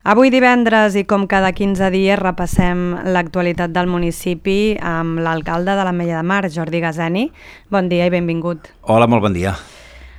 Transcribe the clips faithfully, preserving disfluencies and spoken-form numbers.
Avui divendres i com cada quinze dies repassem l'actualitat del municipi amb l'alcalde de l'Ametlla de Mar, Jordi Gazeni. Bon dia i benvingut. Hola, molt bon dia.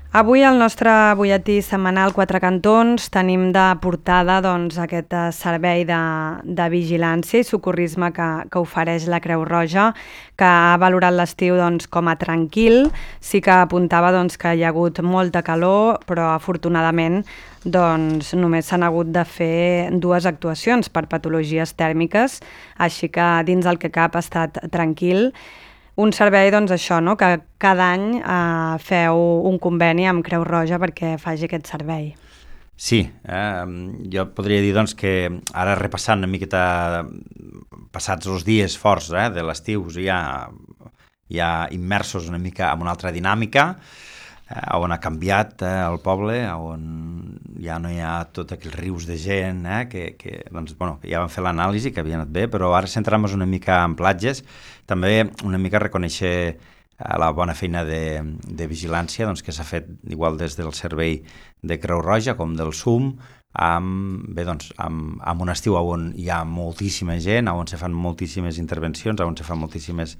Avui al nostre butlletí setmanal Quatre Cantons tenim de portada doncs, aquest servei de, de vigilància i socorrisme que, que ofereix la Creu Roja, que ha valorat l'estiu doncs, com a tranquil. Sí que apuntava doncs, que hi ha hagut molta calor, però afortunadament doncs, només s'han hagut de fer dues actuacions per patologies tèrmiques, així que dins el que cap ha estat tranquil. Un servei, doncs això, no? Que cada any eh, feu un conveni amb Creu Roja perquè faci aquest servei. Sí, eh, jo podria dir doncs, que ara repassant una miqueta, passats els dies forts eh, de l'estiu, ja, ja immersos una mica en una altra dinàmica, eh, on ha canviat eh, el poble, on ja no hi ha tots aquells rius de gent, eh, que, que doncs, bueno, ja van fer l'anàlisi, que havia anat bé, però ara centrem-nos una mica en platges, també una mica reconèixer la bona feina de, de vigilància doncs, que s'ha fet igual des del servei de Creu Roja com del S U M, amb, bé, doncs, amb, amb un estiu on hi ha moltíssima gent, on se fan moltíssimes intervencions, on se fan moltíssimes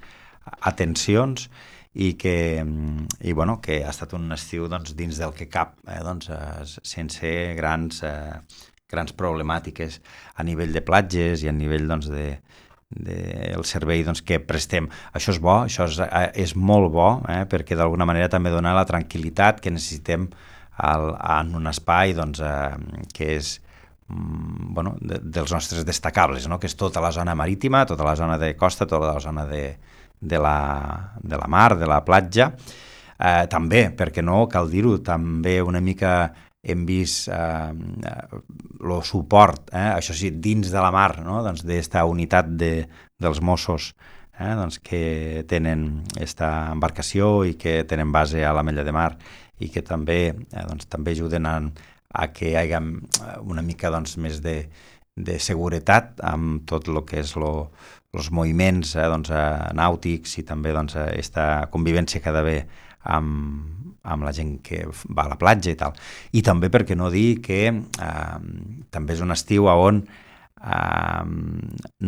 atencions, i que, i, bueno, que ha estat un estiu doncs, dins del que cap, eh, doncs, eh, sense grans, eh, grans problemàtiques a nivell de platges i a nivell doncs, de del servei doncs, que prestem. Això és bo, això és, és molt bo, eh, perquè d'alguna manera també dona la tranquil·litat que necessitem al, en un espai doncs, eh, que és mm, bueno, de, dels nostres destacables, no? Que és tota la zona marítima, tota la zona de costa, tota la zona de, de, la, de la mar, de la platja. Eh, també, perquè no, cal dir-ho, també una mica hem vist eh, el suport, eh, això sí, dins de la mar, no? Doncs d'esta unitat de, dels Mossos eh, doncs que tenen aquesta embarcació i que tenen base a l'Ametlla de Mar i que també, eh, doncs, també ajuden a, a que hi hagi una mica doncs, més de, de seguretat amb tot el que és lo, els moviments eh, doncs, eh, nàutics i també doncs, aquesta convivència que ha d'haver amb amb la gent que va a la platja i tal. I també, per què no dir, que eh, també és un estiu on eh,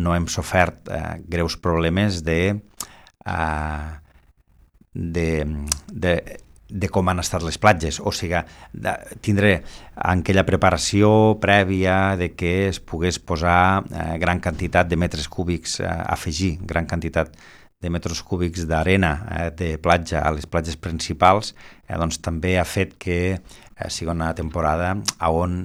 no hem sofert eh, greus problemes de, eh, de, de, de com han estat les platges. O sigui, de, tindré aquella preparació prèvia de que es pogués posar eh, gran quantitat de metres cúbics, eh, afegir gran quantitat de metres cúbics d'arena eh, de platja a les platges principals, eh, doncs també ha fet que eh, sigui una temporada on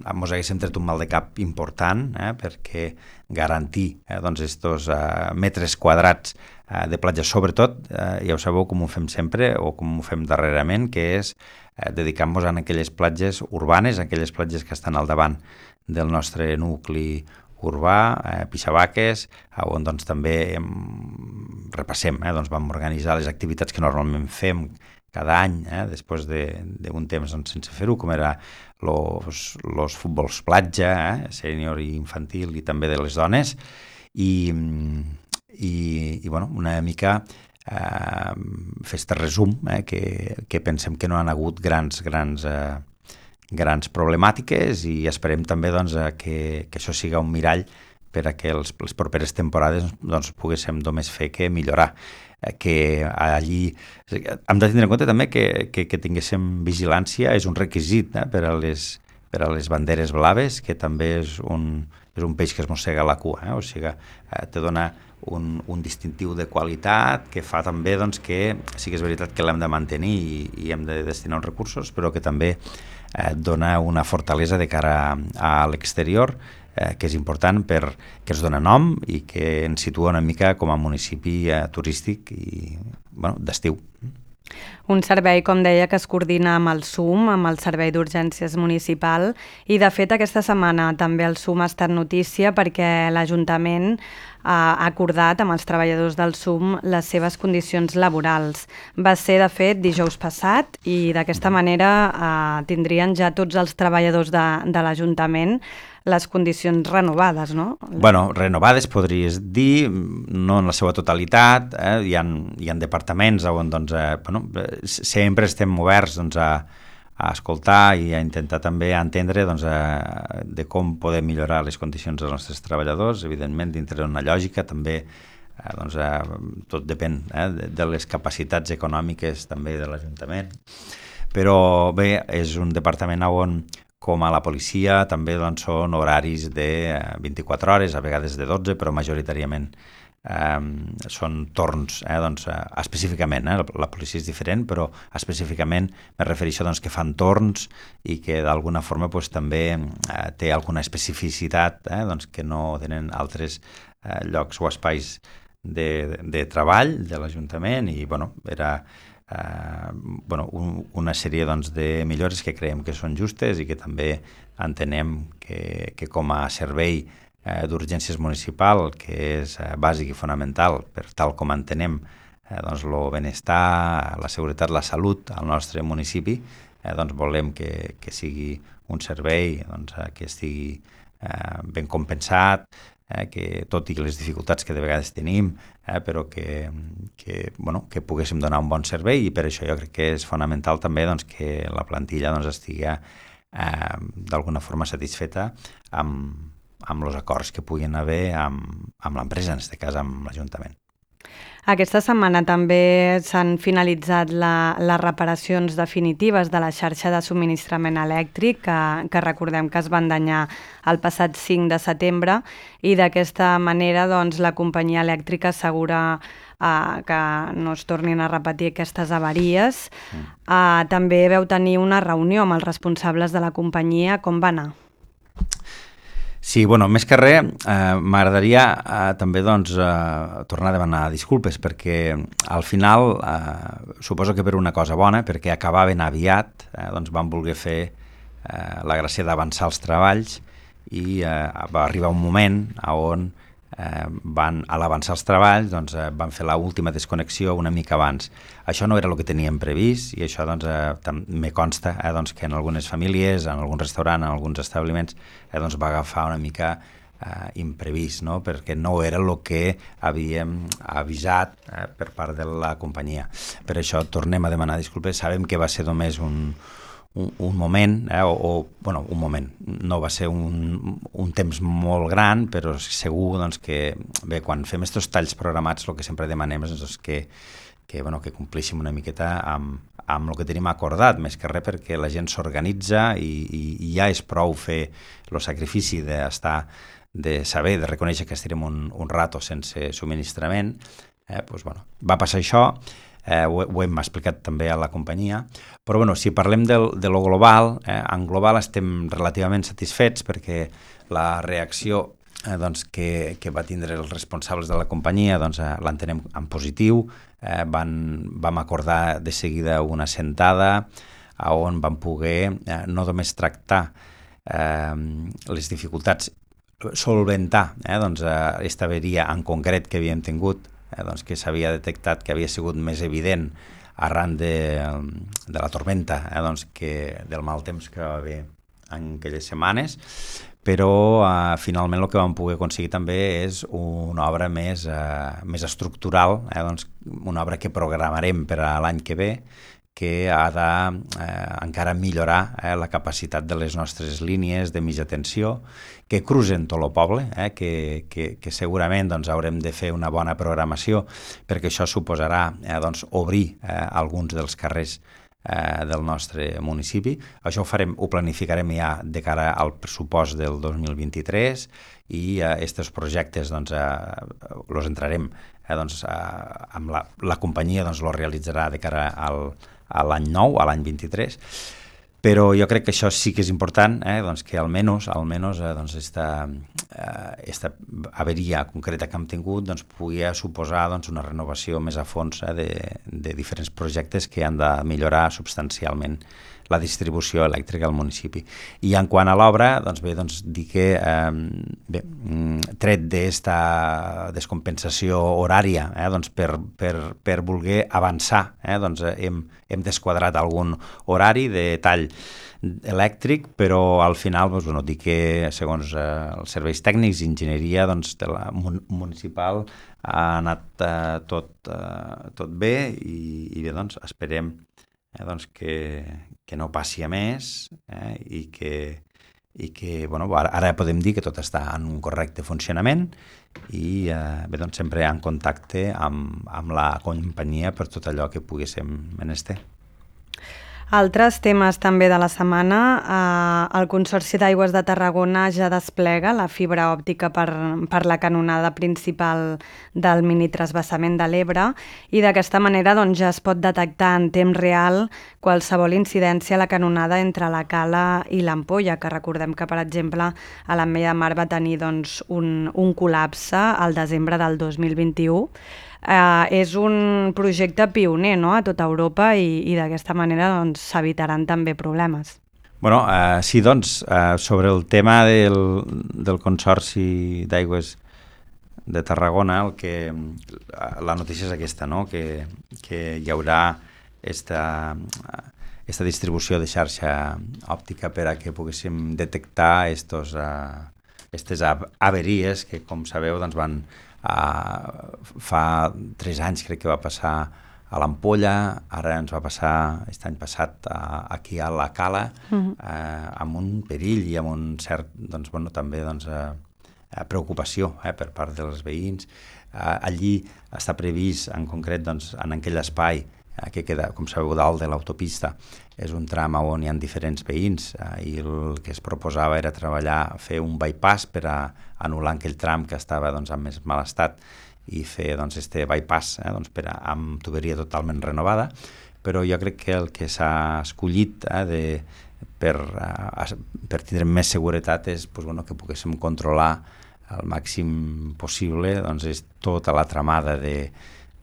ens haguéssim tret un mal de cap important eh, perquè garantir eh, doncs estos eh, metres quadrats eh, de platja, sobretot, eh, ja ho sabeu com ho fem sempre o com ho fem darrerament, que és eh, dedicar-nos a aquelles platges urbanes, aquelles platges que estan al davant del nostre nucli urbà, eh, Pixabaques, on doncs, també hem, repassem, eh, doncs, vam organitzar les activitats que normalment fem cada any, eh, després d'un temps doncs, sense fer-ho, com era els futbols platja, eh, sènior i infantil, i també de les dones, i, i, i bueno, una mica eh, fer este resum, eh, que, que pensem que no han hagut grans, grans eh, grans problemàtiques i esperem també doncs, que, que això siga un mirall per a que els, les properes temporades doncs, poguéssim només fer que millorar. Que allí hem de tindre en compte també que, que, que tinguéssim vigilància, és un requisit eh, per, a les, per a les banderes blaves, que també és un, és un peix que es mossega la cua, eh? O sigui, eh, te dona un, un distintiu de qualitat que fa també doncs, que sí que és veritat que l'hem de mantenir i, i hem de destinar uns recursos, però que també eh, dona una fortalesa de cara a, a l'exterior, eh, que és important perquè ens dona nom i que ens situa una mica com a municipi eh, turístic i bueno, d'estiu. Un servei, com deia, que es coordina amb el S U M, amb el Servei d'Urgències Municipal, i de fet aquesta setmana també el S U M ha estat notícia perquè l'Ajuntament ha acordat amb els treballadors del S U M les seves condicions laborals. Va ser, de fet, dijous passat i d'aquesta manera eh, tindrien ja tots els treballadors de, de l'Ajuntament les condicions renovades, no? Bueno, renovades podries dir, no en la seva totalitat, eh? hi, ha, hi ha departaments on doncs, eh, bueno, sempre estem oberts doncs, a, a escoltar i a intentar també entendre doncs, a, de com podem millorar les condicions dels nostres treballadors, evidentment dintre d'una lògica també, eh, doncs, eh, tot depèn eh, de, de les capacitats econòmiques també de l'Ajuntament, però bé, és un departament on com a la policia també doncs, són horaris de vint-i-quatre hores, a vegades de dotze, però majoritàriament eh, són torns, eh, doncs, eh, específicament, eh, la policia és diferent, però específicament me refereixo doncs, que fan torns i que d'alguna forma doncs, també eh, té alguna especificitat eh, doncs, que no tenen altres eh, llocs o espais de, de treball de l'Ajuntament i bueno, era Uh, bueno, un, una sèrie doncs, de millores que creiem que són justes i que també entenem que, que com a servei uh, d'urgències municipal, que és uh, bàsic i fonamental per tal com entenem uh, doncs, el benestar, la seguretat, la salut al nostre municipi, uh, doncs volem que, que sigui un servei doncs, uh, que estigui uh, ben compensat, Eh, que tot i les dificultats que de vegades tenim, eh, però que, que, bueno, que poguéssim donar un bon servei i per això jo crec que és fonamental també doncs, que la plantilla doncs, estigui eh, d'alguna forma satisfeta amb, amb els acords que puguin haver amb, amb l'empresa, en aquest cas amb l'Ajuntament. Aquesta setmana també s'han finalitzat la, les reparacions definitives de la xarxa de subministrament elèctric que, que recordem que es van danyar el passat cinc de setembre i d'aquesta manera doncs, la companyia elèctrica assegura eh, que no es tornin a repetir aquestes avaries. Mm. Eh, també veu tenir una reunió amb els responsables de la companyia. Com va anar? Sí, bueno, més que res, eh, m'agradaria eh, també doncs, eh, tornar a demanar disculpes perquè al final, eh, suposo que per una cosa bona, perquè acabaven aviat, eh, doncs van voler fer eh, la gràcia d'avançar els treballs i eh, va arribar un moment on eh, van, a l'avançar els treballs doncs, eh, van fer l'última desconnexió una mica abans. Això no era el que teníem previst i això doncs, eh, me consta eh, doncs, que en algunes famílies, en algun restaurant, en alguns establiments eh, doncs, va agafar una mica eh, imprevist, no? Perquè no era el que havíem avisat eh, per part de la companyia. Per això tornem a demanar disculpes. Sabem que va ser només un, un, un moment, eh, o, o bueno, un moment, no va ser un, un temps molt gran, però segur doncs, que bé, quan fem aquests talls programats el que sempre demanem és doncs, que que, bueno, que complíssim una miqueta amb, amb el que tenim acordat, més que res perquè la gent s'organitza i, i, i ja és prou fer el sacrifici d'estar, de saber, de reconèixer que estarem un, un rato sense subministrament. Eh, doncs, bueno, va passar això, eh, ho, ho hem explicat també a la companyia, però bueno, si parlem del, de lo global, eh, en global estem relativament satisfets perquè la reacció eh, doncs, que, que va tindre els responsables de la companyia doncs, eh, l'entenem en positiu. Eh, van, vam acordar de seguida una sentada on vam poder eh, no només tractar eh, les dificultats, solventar eh, doncs, aquesta averia en concret que havíem tingut, eh, doncs, que s'havia detectat que havia sigut més evident arran de, de la tormenta, eh, doncs, que, del mal temps que va haver en aquelles setmanes, però eh, finalment el que vam poder aconseguir també és una obra més, eh, més estructural, eh, doncs una obra que programarem per a l'any que ve, que ha de eh, encara millorar eh, la capacitat de les nostres línies de mitja tensió, que cruzen tot el poble, eh, que, que, que segurament doncs, haurem de fer una bona programació, perquè això suposarà eh, doncs, obrir eh, alguns dels carrers del nostre municipi. Això ho farem, ho planificarem ja de cara al pressupost del dos mil vint-i-tres i aquests eh, projectes doncs, eh, los entrarem eh, doncs, eh, amb la, la companyia doncs, lo realitzarà de cara al, a l'any nou, a l'any vint-i-tres, però jo crec que això sí que és important, eh, doncs, que almenys, almenys eh, doncs, esta, eh, esta averia concreta que hem tingut doncs, pugui suposar doncs, una renovació més a fons eh, de, de diferents projectes que han de millorar substancialment la distribució elèctrica al municipi. I en quant a l'obra, doncs bé, doncs dir que eh, bé, tret d'esta descompensació horària, eh, doncs per, per, per voler avançar, eh, doncs hem, hem desquadrat algun horari de tall elèctric, però al final doncs, bueno, dir que segons eh, els serveis tècnics i enginyeria doncs, de la mun municipal ha anat eh, tot, eh, tot bé i, i bé, doncs esperem eh, doncs que, que no passi a més eh, i que, i que bueno, ara, ara podem dir que tot està en un correcte funcionament i eh, bé, doncs sempre en contacte amb, amb la companyia per tot allò que poguéssim menester. Altres temes també de la setmana, eh, el Consorci d'Aigües de Tarragona ja desplega la fibra òptica per, per la canonada principal del minitransvasament de l'Ebre i d'aquesta manera doncs, ja es pot detectar en temps real qualsevol incidència a la canonada entre la Cala i l'Ampolla, que recordem que, per exemple, a l'Ametlla de Mar va tenir doncs, un, un col·lapse al desembre del dos mil vint-i-u. Uh, és un projecte pioner, no?, a tota Europa i, i d'aquesta manera doncs, s'evitaran també problemes. Bueno, uh, sí, doncs, uh, sobre el tema del, del Consorci d'Aigües de Tarragona, el que, la notícia és aquesta, no?, que, que hi haurà esta, esta distribució de xarxa òptica per a que poguéssim detectar estos, uh, estes averies que, com sabeu, doncs van Uh, fa tres anys crec que va passar a l'Ampolla, ara ens va passar aquest any passat uh, aquí a la Cala, uh-huh. uh, amb un perill i amb un cert, doncs, bueno, també doncs, uh, preocupació eh, per part dels veïns. Uh, allí està previst en concret doncs, en aquell espai uh, que queda, com sabeu, dalt de l'autopista. És un tram on hi ha diferents veïns uh, i el que es proposava era treballar, fer un bypass per a anul·lar aquell tram que estava doncs, en més mal estat i fer doncs, este bypass eh, doncs, per a, amb tuberia totalment renovada, però jo crec que el que s'ha escollit eh, de, per, uh, per tindre més seguretat és pues, bueno, que poguéssim controlar al màxim possible doncs, és tota la tramada de,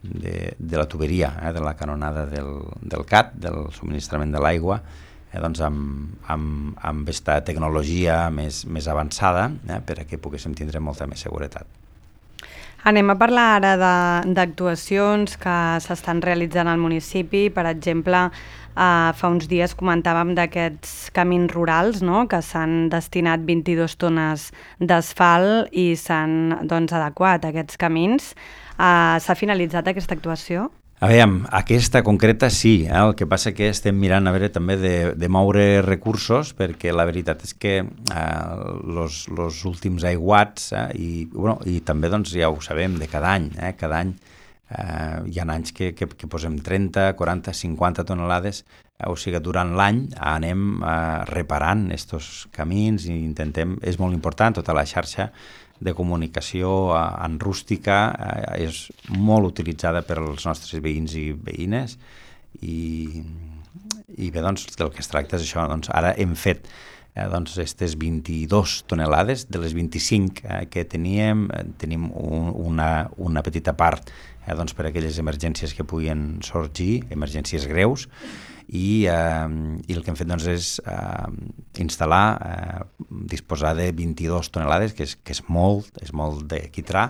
de, de la tuberia, eh, de la canonada del, del C A T, del subministrament de l'aigua, Eh, doncs amb, amb, amb aquesta tecnologia més, més avançada eh, per a que poguéssim tindre molta més seguretat. Anem a parlar ara d'actuacions que s'estan realitzant al municipi. Per exemple, eh, fa uns dies comentàvem d'aquests camins rurals, no?, que s'han destinat vint-i-dues tones d'asfalt i s'han doncs, adequat aquests camins. Eh, s'ha finalitzat aquesta actuació? A veure, aquesta concreta sí, eh? El que passa que estem mirant a veure també de, de moure recursos perquè la veritat és que els eh, últims aiguats eh, i, bueno, i també doncs, ja ho sabem de cada any, eh? Cada any eh, hi ha anys que, que, que posem trenta, quaranta, cinquanta tonelades, eh? O sigui, durant l'any anem eh, reparant estos camins i intentem, és molt important, tota la xarxa de comunicació en rústica eh, és molt utilitzada per als nostres veïns i veïnes i, i bé, doncs, del que es tracta és això. Doncs, ara hem fet eh, doncs, aquestes vint-i-dues tonelades, de les vint-i-cinc eh, que teníem, eh, tenim un, una, una petita part eh, doncs, per a aquelles emergències que puguin sorgir, emergències greus, i, eh, i el que hem fet doncs, és eh, instal·lar, eh, disposar de vint-i-dues tonelades, que és, que és molt, és molt de quitrà,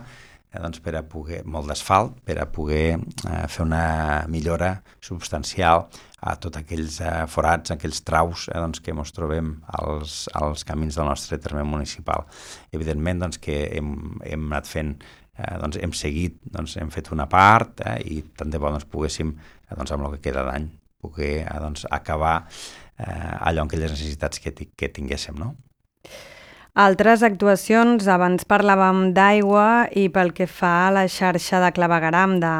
eh, doncs per a poder, molt d'asfalt, per a poder eh, fer una millora substancial a tots aquells eh, forats, aquells traus eh, doncs, que ens trobem als, als camins del nostre terme municipal. Evidentment doncs, que hem, hem anat fent, eh, doncs, hem seguit, doncs, hem fet una part eh, i tant de bo doncs, poguéssim, eh, doncs, amb el que queda d'any, poder doncs, acabar eh, allò en aquelles necessitats que, que tinguéssim, no? Altres actuacions, abans parlàvem d'aigua i pel que fa a la xarxa de clavegueram de,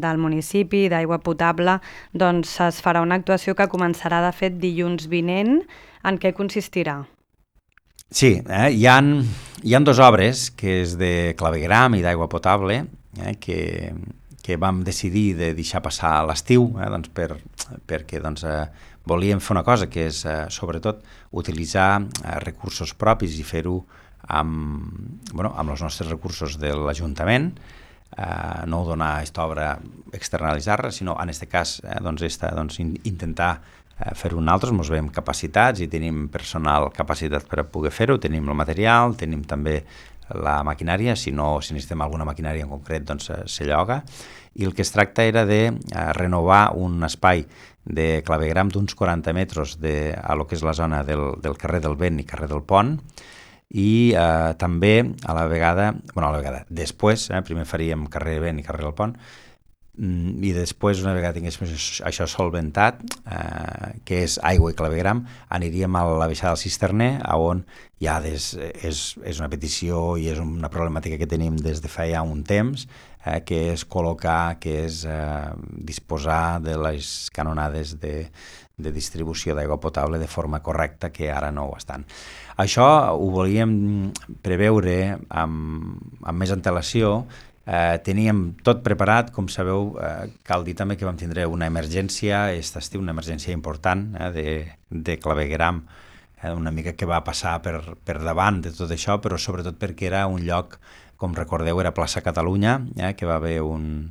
del municipi, d'aigua potable, doncs es farà una actuació que començarà de fet dilluns vinent. En què consistirà? Sí, eh, hi ha, hi ha dues obres, que és de clavegueram i d'aigua potable, eh, que... que vam decidir de deixar passar l'estiu eh, doncs per, perquè doncs, eh, volíem fer una cosa que és eh, sobretot utilitzar eh, recursos propis i fer-ho amb, bueno, amb els nostres recursos de l'Ajuntament, eh, no donar aquesta obra, externalitzar-la, sinó en aquest cas eh, doncs, esta, doncs, in, intentar eh, fer-ho nosaltres, ens veiem capacitats i tenim personal capacitat per a poder fer-ho, tenim el material, tenim també la maquinària, si no, si necessitem alguna maquinària en concret, doncs se lloga. I el que es tracta era de eh, renovar un espai de clavegueram d'uns quaranta metres de, a lo que és la zona del, del carrer del Vent i carrer del Pont, i eh, també a la vegada, bueno, a la vegada, després, eh, primer faríem carrer Vent i carrer del Pont, i després, una vegada tinguéssim això solventat, eh, que és aigua i clavegram, aniríem a la baixada del Cisterner, on ja des, és, és una petició i és una problemàtica que tenim des de fa ja un temps, eh, que és col·locar, que és eh, disposar de les canonades de, de distribució d'aigua potable de forma correcta, que ara no ho estan. Això ho volíem preveure amb, amb més antelació. Eh, teníem tot preparat, com sabeu, eh, cal dir també que vam tindre una emergència, aquest estiu, una emergència important eh, de, de clavegueram, eh, una mica que va passar per, per davant de tot això, però sobretot perquè era un lloc, com recordeu, era plaça Catalunya, eh, que va haver un,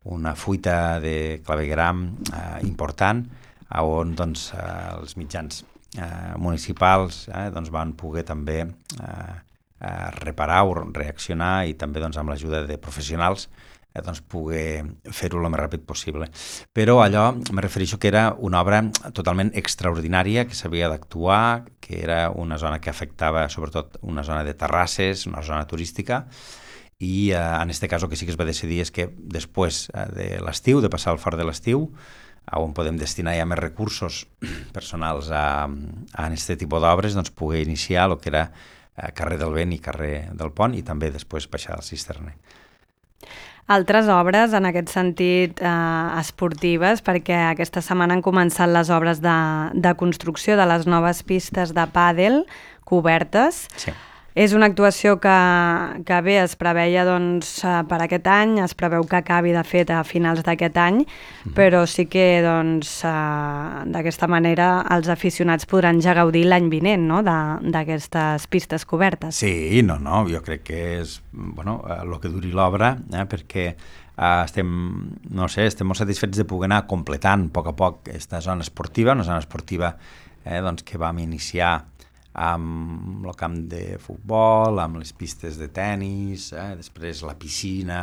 una fuita de clavegueram eh, important, on doncs, eh, els mitjans eh, municipals eh, doncs, van poder també eh, eh, reparar o reaccionar i també doncs, amb l'ajuda de professionals eh, doncs, poder fer-ho el més ràpid possible. Però allò, me refereixo que era una obra totalment extraordinària, que s'havia d'actuar, que era una zona que afectava sobretot una zona de terrasses, una zona turística, i eh, en aquest cas el que sí que es va decidir és que després eh, de l'estiu, de passar el fort de l'estiu, on podem destinar ja més recursos personals a, a aquest tipus d'obres, doncs poder iniciar el que era carrer del Vent i carrer del Pont i també després baixar al Cisterner. Altres obres, en aquest sentit, eh, esportives, perquè aquesta setmana han començat les obres de, de construcció de les noves pistes de pàdel cobertes. Sí. És una actuació que, que bé, es preveia doncs, per aquest any, es preveu que acabi de fet a finals d'aquest any, mm-hmm. però sí que doncs, d'aquesta manera els aficionats podran ja gaudir l'any vinent, no?, d'aquestes pistes cobertes. Sí, no, no, jo crec que és bueno, el que duri l'obra, eh, perquè eh, estem, no sé, estem molt satisfets de poder anar completant a poc a poc aquesta zona esportiva, una zona esportiva eh, doncs, que vam iniciar amb el camp de futbol, amb les pistes de tennis, eh, després la piscina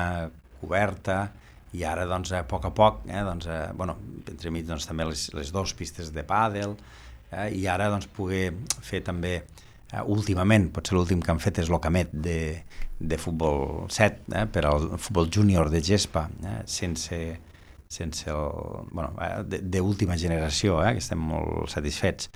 coberta, i ara, doncs, a poc a poc, eh, doncs, eh, bueno, entre mig, doncs, també les, les dues pistes de pàdel, eh, i ara, doncs, poder fer també, eh, últimament, potser l'últim que han fet és l'Ocamet de, de futbol set, eh, per al futbol júnior de gespa, eh, sense, sense el, bueno, eh, d'última generació, eh, que estem molt satisfets.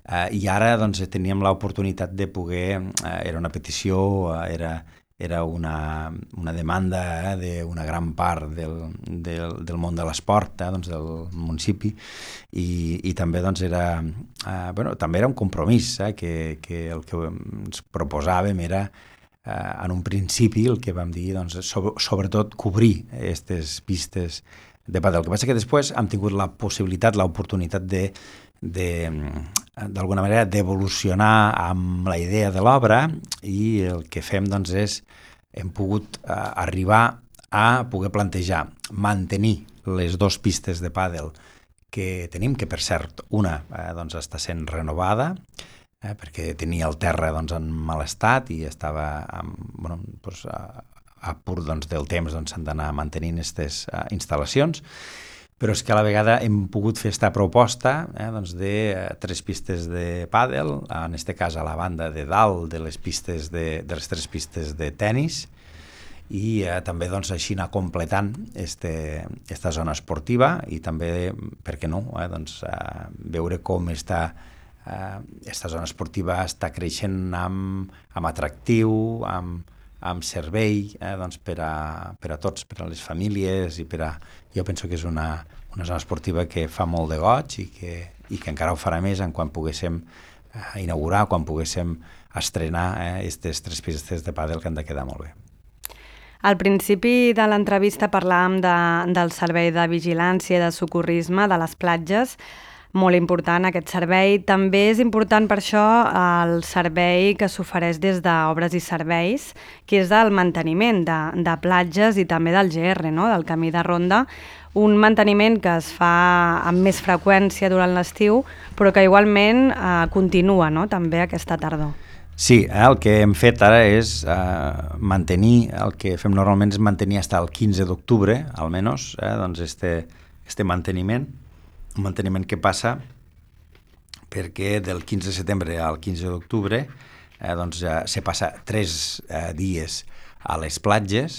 Uh, I ara doncs, teníem l'oportunitat de poder, uh, era una petició, uh, era, era una, una demanda eh, d'una gran part del, del, del món de l'esport, eh, doncs, del municipi, i, i també, doncs, era, uh, bueno, també era un compromís, eh, que, que el que ens proposàvem era, uh, en un principi, el que vam dir, doncs, sobre, sobretot cobrir aquestes pistes de pàdel. El que passa que després hem tingut la possibilitat, l'oportunitat de de, d'alguna manera d'evolucionar amb la idea de l'obra, i el que fem doncs és hem pogut eh, arribar a poder plantejar mantenir les dues pistes de pàdel que tenim, que per cert una eh, doncs està sent renovada eh, perquè tenia el terra doncs, en mal estat i estava amb, bueno, doncs, a, a pur doncs, del temps doncs, s'han d'anar mantenint aquestes eh, instal·lacions. Però és que a la vegada hem pogut fer aquesta proposta eh, doncs de eh, tres pistes de pàdel, en aquest cas a la banda de dalt de les pistes de, de les tres pistes de tennis, i eh, també doncs, així anar completant aquesta zona esportiva i també, per què no, eh, doncs, eh, veure com està aquesta eh, zona esportiva està creixent amb, amb atractiu, amb, amb servei eh, doncs per, a, per a tots, per a les famílies, i per a, jo penso que és una, una zona esportiva que fa molt de goig i que, i que encara ho farà més en quan poguéssim eh, inaugurar, quan poguéssim estrenar aquestes eh, tres pistes de pàdel que han de quedar molt bé. Al principi de l'entrevista parlàvem de, del servei de vigilància i de socorrisme de les platges, molt important aquest servei. També és important per això el servei que s'ofereix des d'Obres i Serveis, que és el manteniment de, de platges i també del G R, no? Del camí de ronda, un manteniment que es fa amb més freqüència durant l'estiu, però que igualment eh, continua, no? També aquesta tardor. Sí, eh, el que hem fet ara és eh, mantenir, el que fem normalment és mantenir fins al quinze d'octubre, almenys, eh, doncs este, este manteniment, un manteniment que passa perquè del quinze de setembre al quinze d'octubre eh, doncs, ja se passa tres eh, dies a les platges,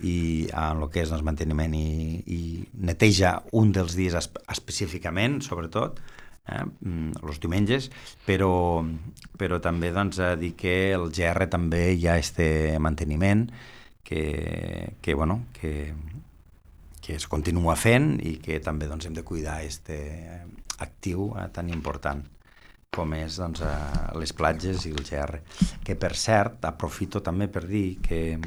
i en el que és doncs, manteniment i, i neteja un dels dies espe específicament, sobretot, eh, els diumenges, però, però també doncs, a dir que el G R també hi ha este manteniment que, que, bueno, que, que es continua fent i que també doncs, hem de cuidar este actiu eh, tan important com és doncs, les platges i el G R. Que, per cert, aprofito també per dir que,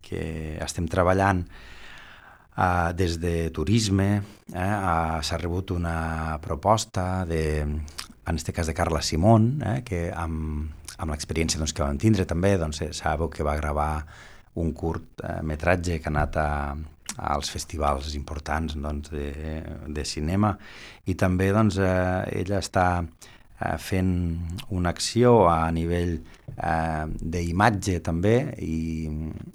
que estem treballant uh, des de turisme, eh, uh, s'ha rebut una proposta, de, en aquest cas de Carla Simón, eh, que amb, amb l'experiència doncs, que vam tindre també, doncs, sabeu que va gravar un curt eh, metratge que ha anat a, als festivals importants doncs, de, de cinema, i també doncs, eh, ella està fent una acció a nivell eh, d'imatge també i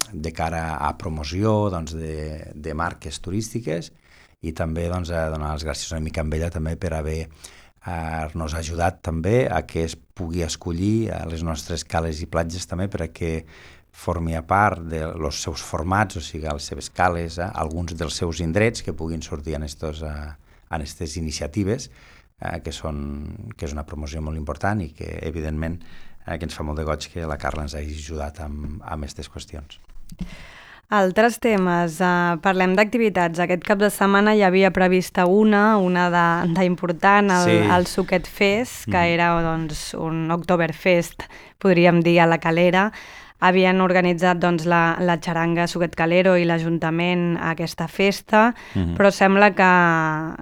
de cara a promoció doncs, de, de marques turístiques, i també doncs, a donar les gràcies una mica amb ella també per haver eh, nos ajudat també a que es pugui escollir a les nostres cales i platges també per a que formi a part dels seus formats, o sigui, les seves cales, eh, alguns dels seus indrets que puguin sortir en aquestes iniciatives, Eh, que, són, que és una promoció molt important i que, evidentment, eh, que ens fa molt de goig que la Carla ens hagi ajudat amb, amb aquestes qüestions. Altres temes. Uh, parlem d'activitats. Aquest cap de setmana hi havia prevista una, una d'important, el, sí. el Suquet Fest, que mm. era doncs, un Oktoberfest, podríem dir, a la Calera. Havien organitzat doncs, la, la xaranga Suquet Calero i l'Ajuntament a aquesta festa, mm-hmm. però sembla que,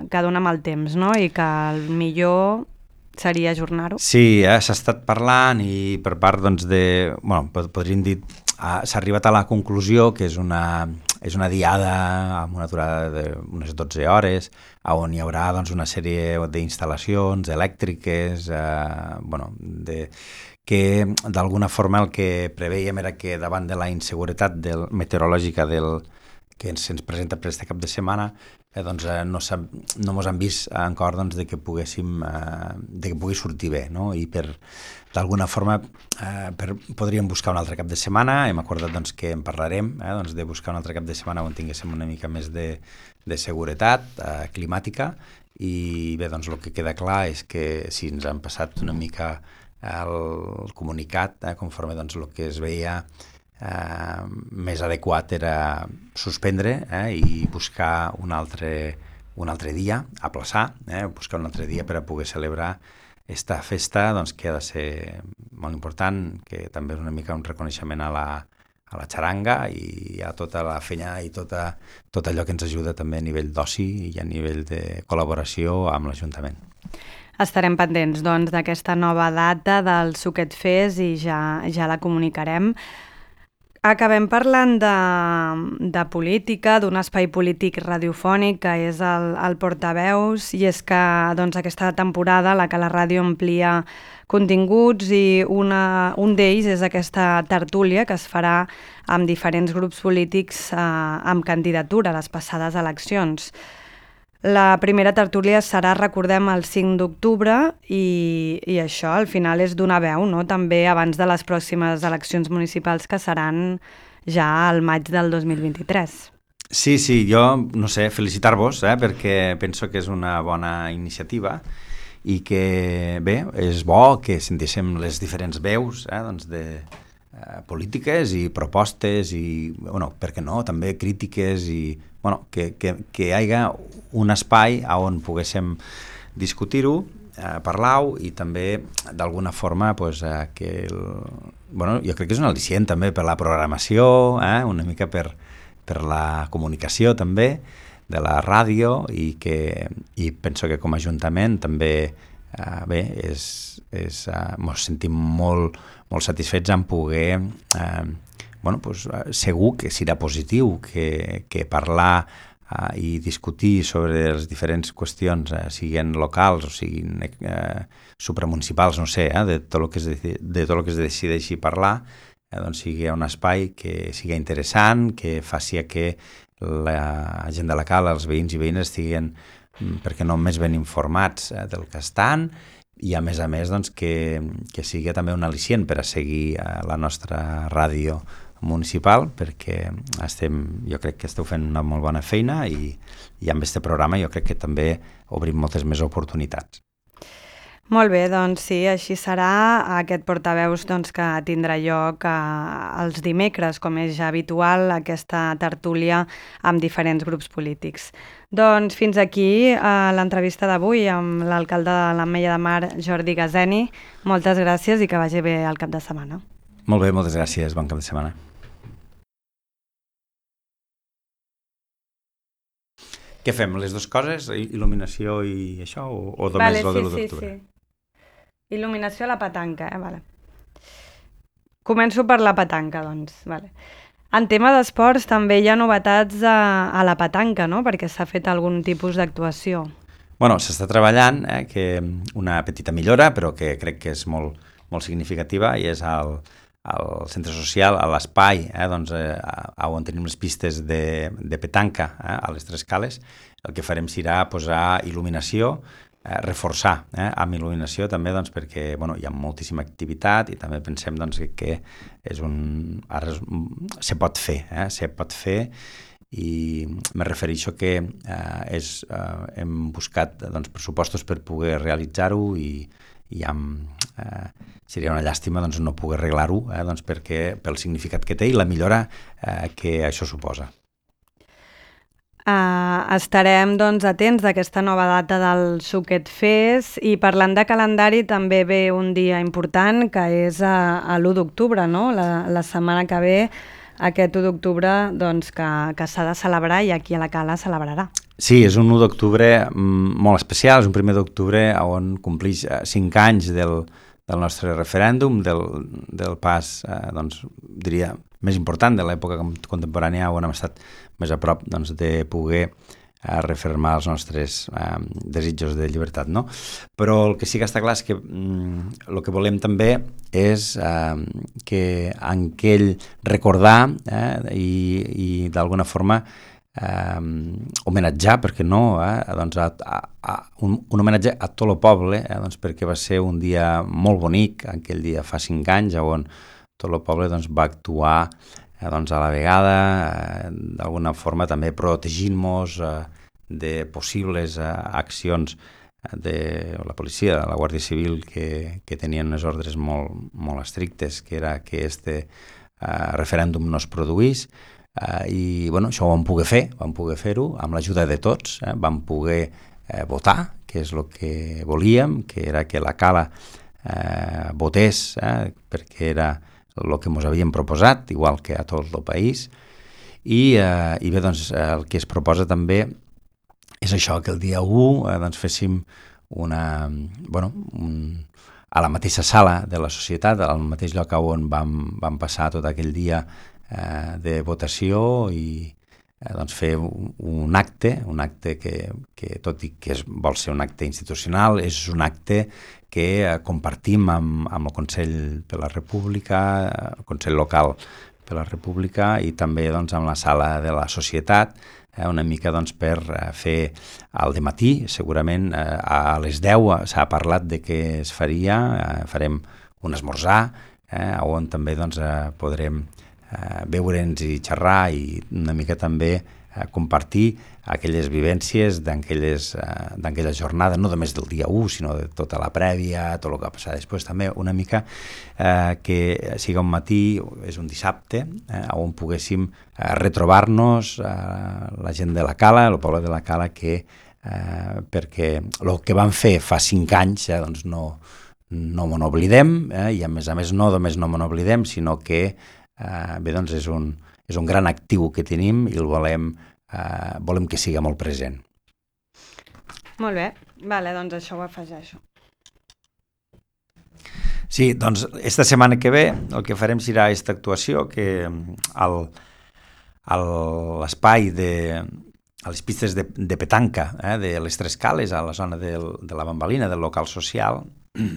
que dona mal temps, no? I que el millor seria ajornar-ho. Sí, eh, s'ha estat parlant i per part doncs, de... Bueno, podríem dir... Uh, s'ha arribat a la conclusió que és una, és una diada amb una durada d'unes dotze hores, on hi haurà doncs, una sèrie d'instal·lacions elèctriques, uh, bueno, de... que d'alguna forma el que preveiem era que davant de la inseguretat del, meteorològica del, que ens, ens presenta per aquest cap de setmana, eh, doncs, eh, no, no mos han vist encara doncs, de que poguéssim, eh, de que pugui sortir bé, no? I per d'alguna forma eh, per, podríem buscar un altre cap de setmana. Hem acordat doncs, que en parlarem, eh, doncs, de buscar un altre cap de setmana on tinguéssim una mica més de, de seguretat eh, climàtica, i bé, doncs el que queda clar és que si ens han passat una mica el comunicat, eh, conforme doncs, el que es veia eh, més adequat era suspendre eh, i buscar un altre, un altre dia, aplaçar, eh, buscar un altre dia per a poder celebrar esta festa doncs, que ha de ser molt important, que també és una mica un reconeixement a la, a la xaranga i a tota la feina i tota, tot allò que ens ajuda també a nivell d'oci i a nivell de col·laboració amb l'Ajuntament. Estarem pendents doncs, d'aquesta nova data del Suquet Fest i ja, ja la comunicarem. Acabem parlant de, de política, d'un espai polític radiofònic que és el, el Portaveus, i és que doncs, aquesta temporada la que la ràdio amplia continguts i una, un d'ells és aquesta tertúlia que es farà amb diferents grups polítics eh, amb candidatura a les passades eleccions. La primera tertúlia serà, recordem, el cinc d'octubre i, i això al final és donar veu, no? També abans de les pròximes eleccions municipals que seran ja al maig del dos mil vint-i-tres. Sí, sí, jo, no sé, felicitar-vos, eh, perquè penso que és una bona iniciativa i que, bé, és bo que sentíssim les diferents veus eh, doncs de eh, polítiques i propostes i, bueno, per què no, també crítiques i, bueno, que, que, que hi hagi un espai on poguéssim discutir-ho, eh, parlar-ho i també d'alguna forma pues, eh, que el, bueno, jo crec que és un al·licient també per la programació, eh, una mica per, per la comunicació també de la ràdio i que i penso que com a Ajuntament també eh, bé, és, és, eh, ens sentim molt, molt satisfets en poder eh, bueno, pues, segur que serà positiu que, que parlar uh, i discutir sobre les diferents qüestions, uh, siguin locals o siguin uh, supramunicipals, no sé, eh, de tot el que es, de, de tot el que es decideixi parlar, eh, doncs sigui un espai que sigui interessant, que faci que la gent de la cala, els veïns i veïnes estiguin, perquè no més ben informats eh, del que estan, i a més a més doncs, que, que sigui també un al·licient per a seguir eh, la nostra ràdio municipal, perquè estem, jo crec que esteu fent una molt bona feina i, i amb aquest programa jo crec que també obrim moltes més oportunitats. Molt bé, doncs sí, així serà aquest portaveus doncs, que tindrà lloc eh, els dimecres, com és ja habitual, aquesta tertúlia amb diferents grups polítics. Doncs fins aquí eh, l'entrevista d'avui amb l'alcalde de l'Ametlla de Mar, Jordi Gazeni. Moltes gràcies i que vagi bé el cap de setmana. Molt bé, moltes gràcies, bon cap de setmana. Què fem, les dues coses? Il·luminació i això? O, o només vale, el sí, de l'u sí, d'octubre? Sí. Il·luminació a la petanca, eh? Vale. Començo per la petanca, doncs. Vale. En tema d'esports també hi ha novetats a, a la petanca, no? Perquè s'ha fet algun tipus d'actuació. Bueno, s'està treballant, eh, que una petita millora, però que crec que és molt, molt significativa, i és al, al centre social, a l'espai, eh, doncs, eh, on tenim les pistes de, de petanca, eh, a les tres cales. El que farem serà posar il·luminació, Eh, reforçar eh, amb il·luminació també, doncs, perquè bueno, hi ha moltíssima activitat i també pensem doncs, que, que és un, ara és, se pot fer, eh, se pot fer i me refereixo que eh, és, eh, hem buscat doncs, pressupostos per poder realitzar-ho i, i amb, eh, seria una llàstima doncs, no poder arreglar-ho eh, doncs, perquè pel significat que té i la millora eh, que això suposa. Uh, estarem doncs, atents d'aquesta nova data del Suquet Fest i parlant de calendari també ve un dia important que és a, a l'u d'octubre, no? La, la setmana que ve, aquest u d'octubre doncs, que, que s'ha de celebrar i aquí a la Cala celebrarà. Sí, és un u d'octubre molt especial, és un primer d'octubre on complix cinc anys del, del nostre referèndum, del, del pas, eh, doncs, diria, més important de l'època contemporània on hem estat més a prop doncs, de poder eh, refermar els nostres eh, desitjos de llibertat, no? Però el que sí que està clar és que mm, el que volem també és eh, que en aquell recordar eh, i, i d'alguna forma eh, homenatjar, perquè no, eh, doncs a, a, a un, un homenatge a tot el poble, eh, doncs perquè va ser un dia molt bonic, aquell dia fa cinc anys, on tot el poble doncs, va actuar eh, doncs, a la vegada, eh, d'alguna forma també protegint-nos eh, de possibles eh, accions de la policia, de la Guàrdia Civil, que, que tenien unes ordres molt, molt estrictes, que era que este eh, referèndum no es produís, eh, i bueno, això ho vam poder fer, vam poder fer-ho amb l'ajuda de tots, eh, vam poder eh, votar, que és el que volíem, que era que la Cala eh, votés, eh, perquè era el que ens havíem proposat, igual que a tot el país, i, eh, i bé, doncs, el que es proposa també és això, que el dia u eh, doncs, féssim una, bueno, un, a la mateixa sala de la societat, al mateix lloc on vam, vam passar tot aquell dia eh, de votació i eh, doncs, fer un, un acte, un acte que, que tot i que es, vol ser un acte institucional, és un acte que eh, compartim amb, amb el Consell per la República, el Consell Local per la República i també doncs, amb la sala de la societat, eh, una mica doncs, per eh, fer al dematí, segurament eh, a les deu s'ha parlat de què es faria, eh, farem un esmorzar, eh, on també doncs, eh, podrem eh, veure'ns i xerrar i una mica també eh, compartir aquelles vivències d'aquella jornada, no només del dia u, sinó de tota la prèvia, tot el que ha passat després, també una mica eh, que sigui un matí, és un dissabte, eh, on poguéssim eh, retrobar-nos eh, la gent de la Cala, el poble de la Cala, que eh, perquè el que van fer fa cinc anys eh, doncs no, no me n'oblidem, eh, i a més a més no només no me n'oblidem, sinó que eh, bé, doncs és un, és un gran actiu que tenim i el volem Uh, volem que sigui molt present. Molt bé, vale, doncs això ho afegeixo. Sí, doncs esta setmana que ve el que farem serà aquesta actuació que al, a l'espai de a les pistes de, de petanca eh, de les Tres Cales, a la zona del, de la Bambalina, del local social, eh,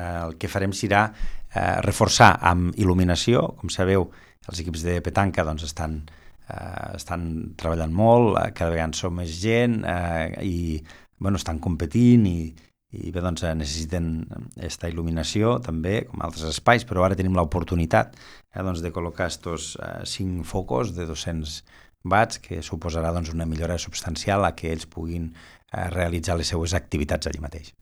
el que farem serà eh, reforçar amb il·luminació. Com sabeu, els equips de petanca doncs, estan Uh, estan treballant molt, uh, cada vegada en som més gent uh, i bueno, estan competint i, i bé, doncs necessiten aquesta il·luminació també, com altres espais, però ara tenim l'oportunitat eh, doncs, de col·locar estos eh, cinc focus de dos-cents watts, que suposarà doncs, una millora substancial a que ells puguin eh, realitzar les seues activitats allí mateix.